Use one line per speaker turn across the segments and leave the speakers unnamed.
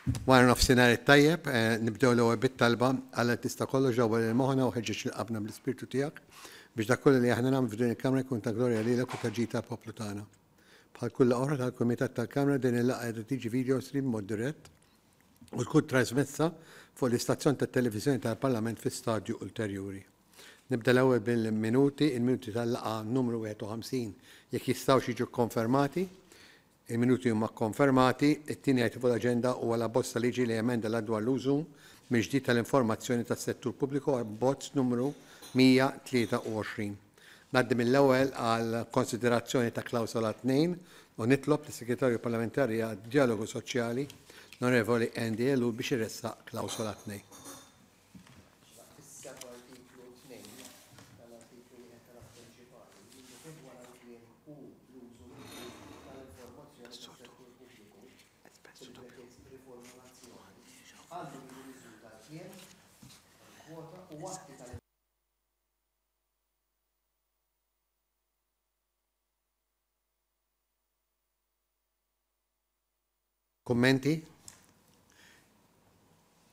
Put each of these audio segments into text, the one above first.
Wara nofsinhar it-tajjeb, nibdew l-ewwel bit-talba, Alla li tista' kollox dawwal lil moħħna u ħeġġeġ lil qalbna bl-Ispirtu tiegħek biex dak kollu li aħna nagħmlu f'din il-Kamra jkun ta' glorja lilek u ta' ġid għall-poplu tagħna. Bħal kull laqgħa oħra tal-Kumitat tal-Kamra din il-laqgħa qiegħda tiġi video stream b'mod dirett u tkun trasmessa fuq l-istazzjon tat-televiżjoni tal-Parlament fi stadju ulterjuri. Nibda l-ewwel bil-minuti, il-minuti tal-laqgħa numru 51 jekk jistgħux jiġu kkonfermati. Il-minuti huma kkonfermati. It-tieni item fuq l-aġenda huwa l-abbozz ta' liġi li jemenda l-Att dwar l-użu mill-ġdid tal-informazzjoni tas-settur pubbliku, abbozz numru 123. Ngħaddi mill-ewwel għall-konsiderazzjoni ta' klawsola 2 u nitlob lis-Segretarju Parlamentari għad-Djalogu Soċjali, l-Onorevoli Andy Ellul biex iressaq klawsola 2.
Issa f'artiklu 2 tal-artiklu wieħed tal-Att Prinċipali, jiġifieri wara l-kliem u l-użu mill-ġdid tal-informazzjoni tas-settur pubbliku, fil-brackets riformulazzjoni, għandhom jiġu miżjuda l-kliem, kwota, u atti tal.
Kummenti?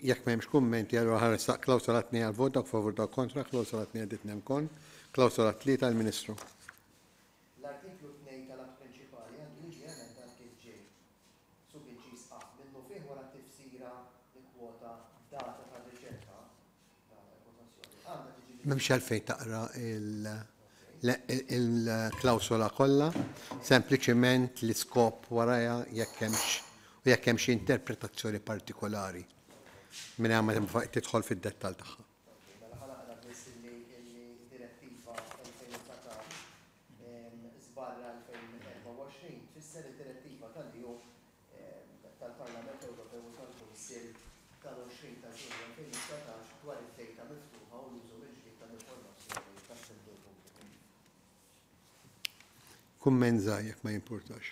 Jekk m'hemmx kummenti, allura ħa nressaq klawsola 2 għall-vot, dawk favur dawk kontra, klawsola 2 għaddiet nemkon, klawsola 3 għall-Ministru.
L-artiklu 2 tal-Att Prinċipali għandu jiġi emendat kif ġej. Subinċiż A, minnufih wara t-tifsira nikkwota data tar-riċerka, data kwotazzjoni, għandha tiġi
M'hemmx għalfejn taqra il-klawsola kollha, sempliċement l-iskop warajha jekk hemmx u jekk hemm xi interpretazzjoni partikolari mingħajr ma tidħol fid-dettall tagħha.
Mela ħa naqra biss illi Direttiva 2019 żbarra 2024 tfisser id-Direttiva tal-EU tal-Parlament Ewropew u tal-Kunsill tal-20 ta' Ġunju 2019 dwar id-dejta miftuħa u l-użu mill-ġdid tal-informazzjoni tas-settur pubbliku.
Kumment żgħir jekk ma jimpurtax.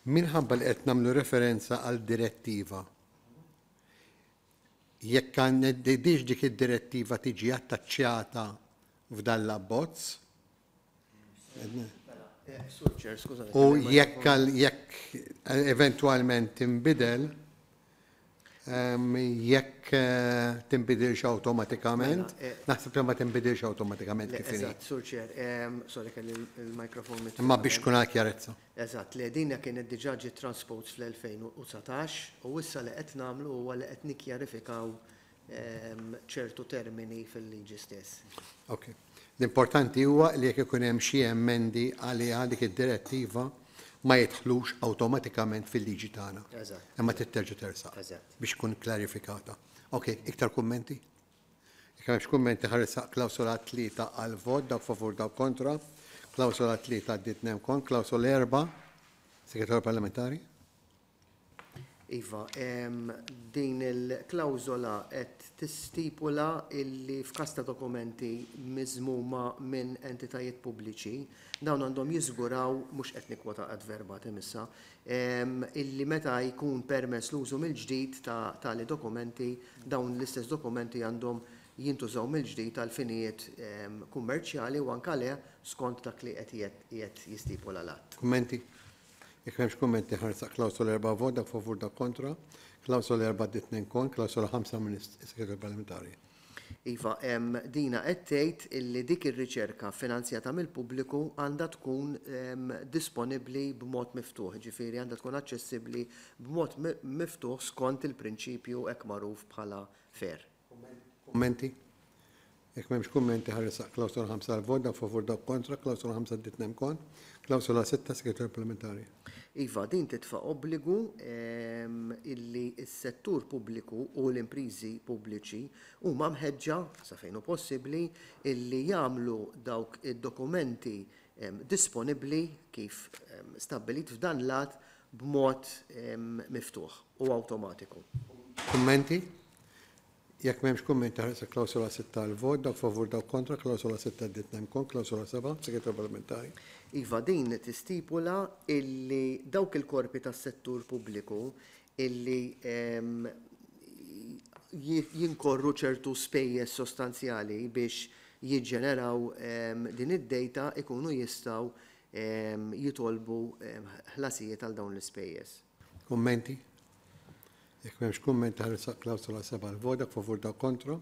Minħabba li qed nagħmlu referenza għal direttiva, jekk għandix dik id-direttiva tiġi attaċċjata f'dan l-abbozz, U jekk jekk eventwalment tinbidel, jekk tinbidilx awtomatikament, naħseb li ma tinbidilx awtomatikament kif inhi.
Eżatt, Sur Chair, sorry kelli l-mikrofon mitfi.
Imma biex tkun għal kjarezza.
Eżatt, le din kienet diġà ġiet transposed fl-2019 u issa li qed nagħmlu huwa li qed nikkjarifikaw ċertu termini fil-liġi stess.
Ok. L-importanti huwa li jekk ikun hemm xi emendi għaliha dik id-direttiva ma jidħlux awtomatikament fil-liġi tagħna.
Eżatt.
Imma trid terġa' tersaq.
Eżatt.
Biex tkun klarifikata. Ok, iktar kummenti? Jekk m'hemmx kummenti ħa nressaq klawsola 3 għall-vot, dawk favur dawk kontra. Klawsola 3 għaddiet nemkon, klawsola 4, Segretarju Parlamentari.
Iva, din il-klawżola qed tistipula illi f'każ ta' dokumenti miżmuma minn entitajiet pubbliċi, dawn għandhom jiżguraw, mhux qed nikkwota ad verbatim issa, illi meta jkun permess l-użu mill-ġdid ta' tali dokumenti, dawn l-istess dokumenti għandhom jintużaw mill-ġdid għal finijiet kummerċjali u anke le skont dak li qed qiegħed jistipula l-Att.
Kummenti? Jekk m'hemmx kummenti ħarsaq klawsola 4 vot, dak favur dak kontra. Klawsola 4 għaddiet 2 kont, klawsola 5 minn is-Segretarju Parlamentari.
Iva, dina qed tgħid illi dik ir-riċerka finanzjata mill-pubbliku għandha tkun disponibbli b'mod miftuħ, jiġifieri għandha tkun aċċessibbli b'mod miftuħ skont il-prinċipju hekk magħruf bħala fair.
Kummenti? Jekk m'hemmx kummenti ħa nressaq klawsola 5 għall-vot, dawk favur dawk kontra, klawsola 5 għaddiet nem kon. Klawsola 6, Segretarju Parlamentari.
Iva, din titfa' obbligu illi s-settur pubbliku u l-impriżi pubbliċi huma mħeġġa, sa fejn hu possibbli, illi jagħmlu dawk id-dokumenti disponibbli kif stabbilit f'dan l-att b'mod miftuħ u awtomatiku.
Kummenti? Jekk m'hemmx kummenti ħares il-klawsola 6 għall-vot, dawk favur dawk kontra, klawsola 6 għaddiet nemkon, klawsola 7, Segretarju Parlamentari.
Iva, din tistipula illi dawk il-korpi tas-settur pubbliku illi jinkorru ċertu spejjeż sostanzjali biex jiġġeneraw din id-data ikunu jistgħu jitolbu ħlasijiet għal dawn l-ispejjeż.
Kummenti? Jekk m'hemmx kummenti ħa nressaq klawsola 7 għall-vot, dak favur dawk kontra.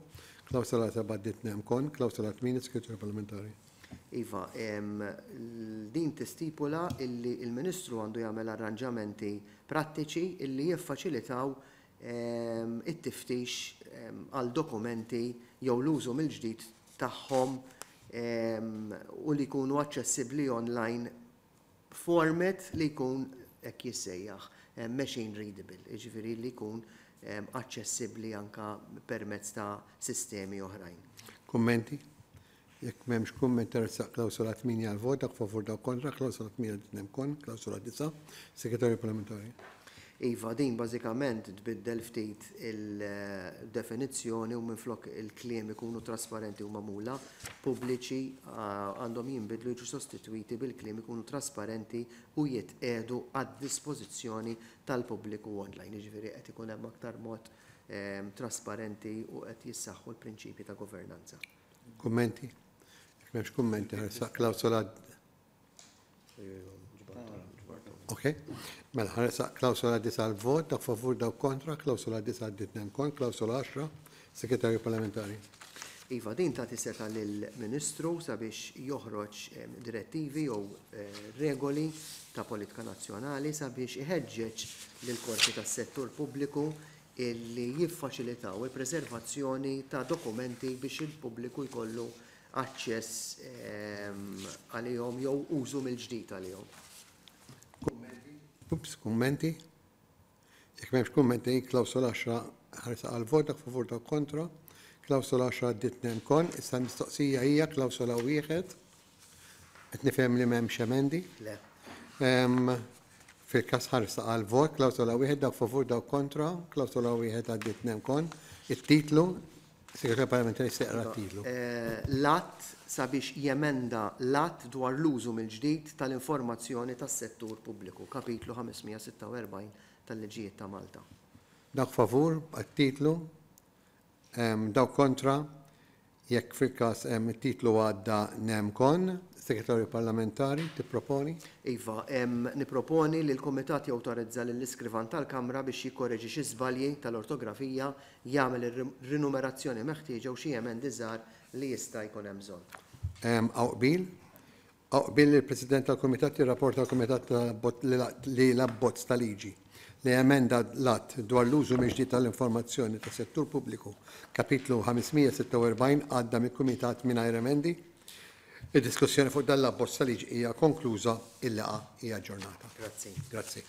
Klawsola 7 għaddiet nem kon. Klawsola 8, Segretarju Parlamentari.
Iva, din tistipula illi l-Ministru għandu jagħmel arranġamenti prattiċi illi jiffaċilitaw it-tiftix għal dokumenti jew l-użu mill-ġdid tagħhom u li jkunu aċċessibbli online b'format li jkun hekk jissejjaħ machine readable, jiġifieri li jkun aċċessibbli anke permezz ta' sistemi oħrajn.
Kummenti? Jekk m'hemmx kumment teressaq klawsola 8 għall-vot, dak favur dawk kontra, klawsola 8 għaddiet kon, klawsola 9, Segretarju Parlamentari.
Iva, din bażikament tbiddel ftit il-definizzjoni u minflok il-kliem ikunu trasparenti u magħmula pubbliċi għandhom jinbidlu jiġu sostitwiti bil-kliem ikunu trasparenti u jitqiegħdu għad-dispożizzjoni tal-pubbliku online. Jiġifieri qed ikun hemm aktar mod trasparenti u qed jissaħħu l-prinċipji ta' governanza.
Kummenti? Jekk m'hemmx kummenti ħarsaq klawsola. Ok. Mela ħarsaq klawsola 9 għall-vot, dak favur dawk kontra, klawsola 9 għaddiet nem kon, klawsola 10, Segretarju Parlamentari.
Iva, din tagħti setgħa lill-Ministru sabiex joħroġ direttivi jew regoli ta' politika nazzjonali sabiex iħeġġeġ lill-korpi tas-settur pubbliku illi jiffaċilitaw il-preservazzjoni ta' dokumenti biex il-pubbliku jkollu aċċess għalihom jew użu mill-ġdid għalihom.
Kummenti? Ups, kummenti? Jekk m'hemmx kummenti, klawsola 10 ħarsa għal vot, dak favur dawk kontra. Klawsola 10 għaddiet nem kon. Issa l-mistoqsija hija klawsola 1. Qed nifhem li m'hemmx emendi.
Le.
Fil-każ ħarsa għal vot, klawsola 1 dak favur dawk kontra, klawsola 1 għaddiet nem kon. It-titlu, Segretarju Parlamentari se jaqra t-titlu.
L-att sabiex jemenda l-Att dwar l-użu mill-ġdid tal-informazzjoni tas-settur pubbliku, Kapitlu 546 tal-Liġijiet ta' Malta.
Dawk favur għat-titlu, dawk kontra, jekk fil-każ it-titlu għadda nem kon. Segretarju Parlamentari, tipproponi?
Iva, nipproponi li l-Kumitat jawtorizza lill-Iskrivan tal-Kamra biex jikkoreġi xi żbalji tal-ortografija, jagħmel ir-rinumerazzjoni meħtieġa u xi emendi żgħar li jista' jkun hemm bżonn.
Hawn qbil? Hawn qbil li l-President tal-Kumitat jirrapporta għall-Kumitat li l-abbozz ta' liġi li jemenda l-Att dwar l-użu mill-ġdid tal-informazzjoni tas-settur pubbliku, Kapitlu 546 għadda mill-Kumitat mingħajr emendi? Id-diskussjoni fuq dan l-abbozz ta' liġi hija konkluża, il-laqgħa hija aġġornata.
Grazzi.
Grazzi.